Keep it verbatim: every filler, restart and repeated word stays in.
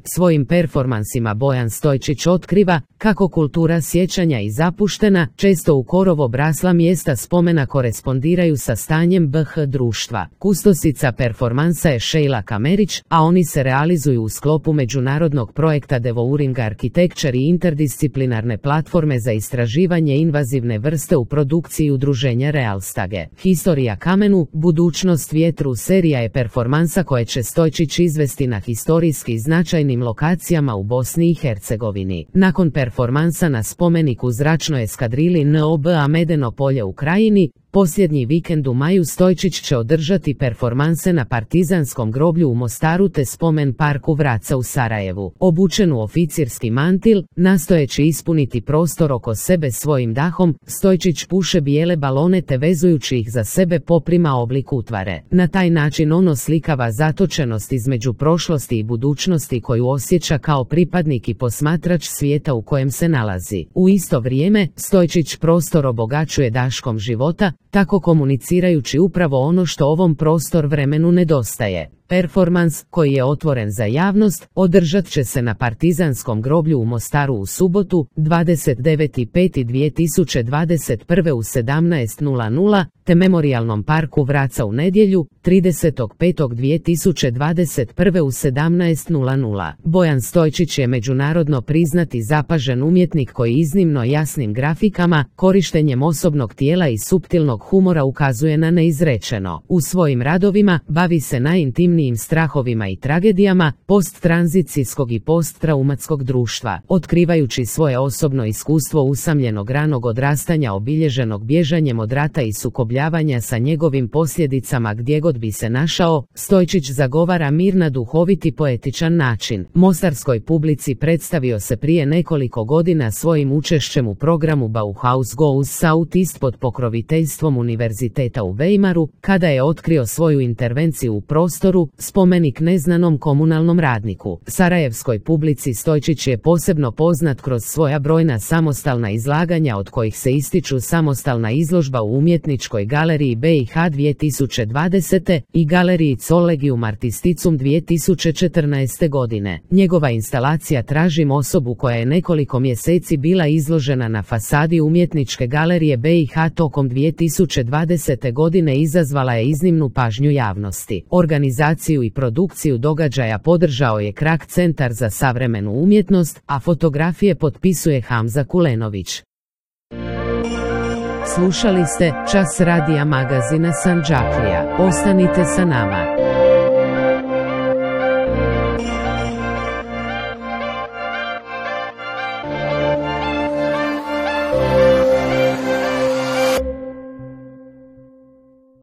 Svojim performansima Bojan Stojčić otkriva kako kultura sjećanja i zapuštena, često u korov obrasla mjesta spomena korespondiraju sa stanjem B H društva. Kustosica performansa je Sheila Kamerić, a oni se realizuju u sklopu međunarodnog projekta Devouring Architecture i interdisciplinarne platforme za istraživanje invazivne vrste u produkciji udruženja Realstage. Historija kamenu, budućnost vjetru serija je performansa koje će Stojčić izvesti na historijski značajnim lokacijama u Bosni i Hercegovini. Nakon performansa na spomeniku zračnoj eskadrili N O B A Medeno polje u Krajini, posljednji vikend u maju Stojčić će održati performanse na Partizanskom groblju u Mostaru te spomen parku Vraca u Sarajevu. Obučen u oficirski mantil, nastojeći ispuniti prostor oko sebe svojim dahom, Stojčić puše bijele balone te vezujući ih za sebe poprima oblik utvare. Na taj način on oslikava zatočenost između prošlosti i budućnosti koju osjeća kao pripadnik i posmatrač svijeta u kojem se nalazi. U isto vrijeme, Stojčić prostor obogaćuje daškom života, tako komunicirajući upravo ono što ovom prostor vremenu nedostaje. Performans, koji je otvoren za javnost, održat će se na Partizanskom groblju u Mostaru u subotu, dvadeset deveti peti dvije tisuće dvadeset prve u sedamnaest sati, te Memorijalnom parku Vraca u nedjelju, tridesetog petog dvije tisuće dvadeset prve u sedamnaest sati. Bojan Stojčić je međunarodno priznati zapažen umjetnik koji iznimno jasnim grafikama, korištenjem osobnog tijela i suptilnog humora ukazuje na neizrečeno. U svojim radovima bavi se najintimnijim strahovima i tragedijama posttranzicijskog i posttraumatskog društva, otkrivajući svoje osobno iskustvo usamljenog ranog odrastanja obilježenog bježanjem od rata i sukobljavanja sa njegovim posljedicama gdje god bi se našao. Stojčić zagovara mir na duhoviti poetičan način. Mostarskoj publici predstavio se prije nekoliko godina svojim učešćem u programu Bauhaus Goes Southeast pod pokroviteljstvom Univerziteta u Weimaru, kada je otkrio svoju intervenciju u prostoru, spomenik neznanom komunalnom radniku. Sarajevskoj publici Stojčić je posebno poznat kroz svoja brojna samostalna izlaganja od kojih se ističu samostalna izložba u Umjetničkoj galeriji B i H dvije tisuće dvadesete i galeriji Collegium Artisticum dvije tisuće četrnaeste. godine. Njegova instalacija Tražim osobu koja je nekoliko mjeseci bila izložena na fasadi Umjetničke galerije B i H tokom dvije tisuće dvadesete. godine izazvala je iznimnu pažnju javnosti. Organizaciju i produkciju događaja podržao je Krak Centar za savremenu umjetnost, a fotografije potpisuje Hamza Kulenović. Slušali ste Čas radija magazina Sandžaklija. Ostanite sa nama.